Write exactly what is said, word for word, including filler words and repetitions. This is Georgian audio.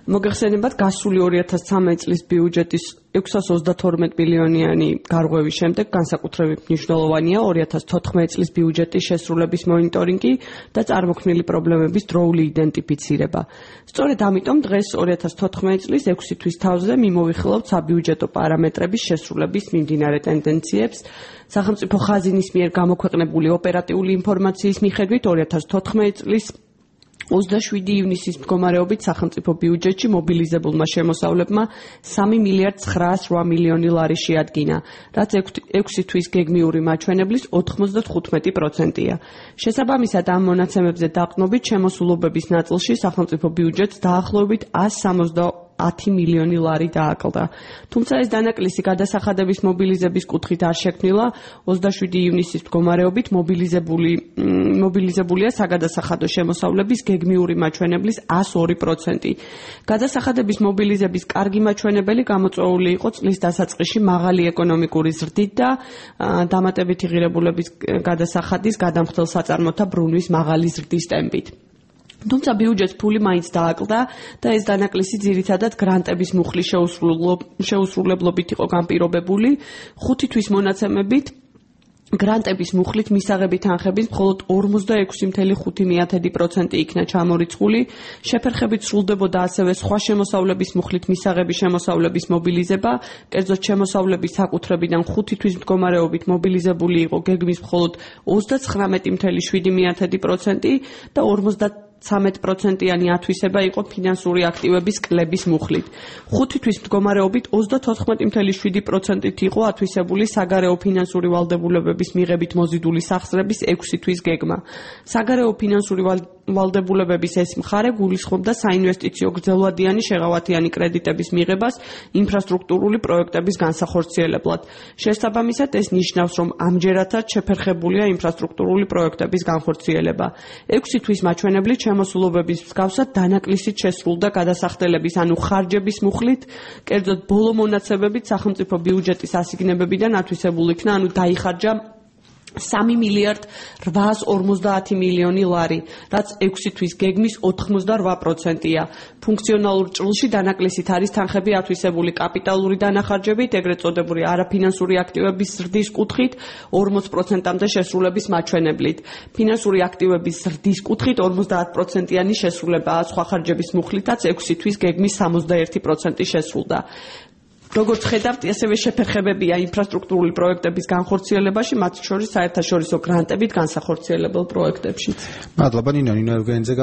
მოგეხსენებათ, გასული ორი ათას ცხრამეტი წლის ბიუჯეტის ექვსას ოცდათორმეტ მილიონიანი გარღვევის შემდეგ განსაკუთრებით მნიშვნელოვანია ორი ათას თოთხმეტი წლის ბიუჯეტის შესრულების მონიტორინგი და წარმოქმნილი პრობლემების დროული იდენტიფიცირება. სწორედ ამიტომ დღეს ორი ათას თოთხმეტი წლის ექვსი თვის თავზე მიმოვიხილავთ საბიუჯეტო პარამეტრების შესრულების მიმდინარე ტენდენციებს. სახელმწიფო ხაზინის მიერ გამოქვეყნებული ოპერატიული ინფორმაციის მიხედვით ორი ათას თოთხმეტი წლის ოცდაშვიდი ივნისის მდგომარეობით სახელმწიფო ბიუჯეტში მობილიზებულმა შემოსავლებმა სამი მილიარდ ცხრაასი მილიონი ლარი შეადგინა, რაც ექვსი თვის გეგმიური მაჩვენებლის ოთხმოცდათხუთმეტი პროცენტია. შესაბამისად ამ მონაცემებზე დაყრდნობით შემოსულობების ნაწილში სახელმწიფო ბიუჯეტს დაახლოებით ას სამოცდაათი მილიონი ლარი დააკლდა. თუმცა ეს დანაკლისი გადასახადების მობილიზების კუთხით არ შექმნილა, ოცდაშვიდი ივნისის მდგომარეობით მობილიზებული მობილიზებულია საგადასახადო შემოსავლების გეგმიური მაჩვენებლის ას ორი პროცენტი. გადასახადების მობილიზების კარგი მაჩვენებელი გამოწვეული იყო წლის დასაწყისში მაღალი ეკონომიკური ზრდით და დამატებითი ღირებულების გადასახადის გადამხდელ საწარმოთა ბრუნვის მაღალი ზრდის ტემპით. თუმცა ბიუჯეტს ფული მაინც დააკლდა და ეს დანაკლისი ძირითადად გრანტების მუხლის შეუსრულებლობით იყო განპირობებული. ხუთი თვის მონაცემებით გრანტების მუხლით მისაღები თანხების მხოლოდ ორმოცდაექვსი მცდარი ხუთი პროცენტი იქნა ჩამორიცხული, შეფერხებით სრულდებოდა ასევე სხვა შემოსავლების მუხლით მისაღები შემოსავლების მობილიზება, კერძოდ შემოსავლების საკუთრებიდან ხუთი თვის მდგომარეობით მობილიზებული იყო გეგმის მხოლოდ ოცდაცხრამეტი მცდარი შვიდი პროცენტი და ორმოცდათვრამეტი პროცენტიანი ათვისება იყო ფინანსური აქტივების კლების მუხლით. ხუთი თვის მდგომარეობით ოცდათოთხმეტი მცდარი შვიდი პროცენტით იყო ათვისებული საგარეო ფინანსური ვალდებულებების მიღებით მოზიდული სახსრების ექვსი თვის გეგმა. საგარეო ფინანსური ვალდებულებების ეს მხარე გულისხმობდა საინვესტიციო გრძელვადიანი შეღავათიანი კრედიტების მიღებას ინფრასტრუქტურული პროექტების განსახორციელებლად. შესაბამისად, ეს ნიშნავს, რომ ამჯერადაც შეფერხებულია ინფრასტრუქტურული პროექტების განხორციელება. ექვსი თვის მაჩვენებლით შემოსულობების მსგავსად დანაკლისით შესრულდა გადასახდელების, ანუ ხარჯების მუხლით, კერძოდ ბოლო მონაცემებით სახელმწიფო ბიუჯეტის ასიგნებებიდან ათვისებულ იქნა, ანუ დაიხარჯა სამი მილიარდ რვაას ორმოცდაათი მილიონი ლარი, რაც ექვსი თვის გეგმის ოთხმოცდარვა პროცენტია. ფუნქციონალურ ჭრილში დანაკლისით არის თანხები ათვისებული კაპიტალური დანახარჯებით, ეგრეთ წოდებული არაფინანსური აქტივების ზრდის კუთხით ორმოც პროცენტამდე შესრულების მაჩვენებლით. ფინანსური აქტივების ზრდის კუთხით ორმოცდაათ პროცენტიანი შესრულებაა, სხვა ხარჯების მუხლითაც ექვსი თვის გეგმის სამოცდაერთი პროცენტი შესრულდა. როგორც ხედავთ, ასევე შეფერხებებია ინფრასტრუქტურული პროექტების განხორციელებაში, მათ შორის საერთაშორისო გრანტებით განსახორციელებელ პროექტებშიც. მადლობა ნინო, ნინო ევგენიძე.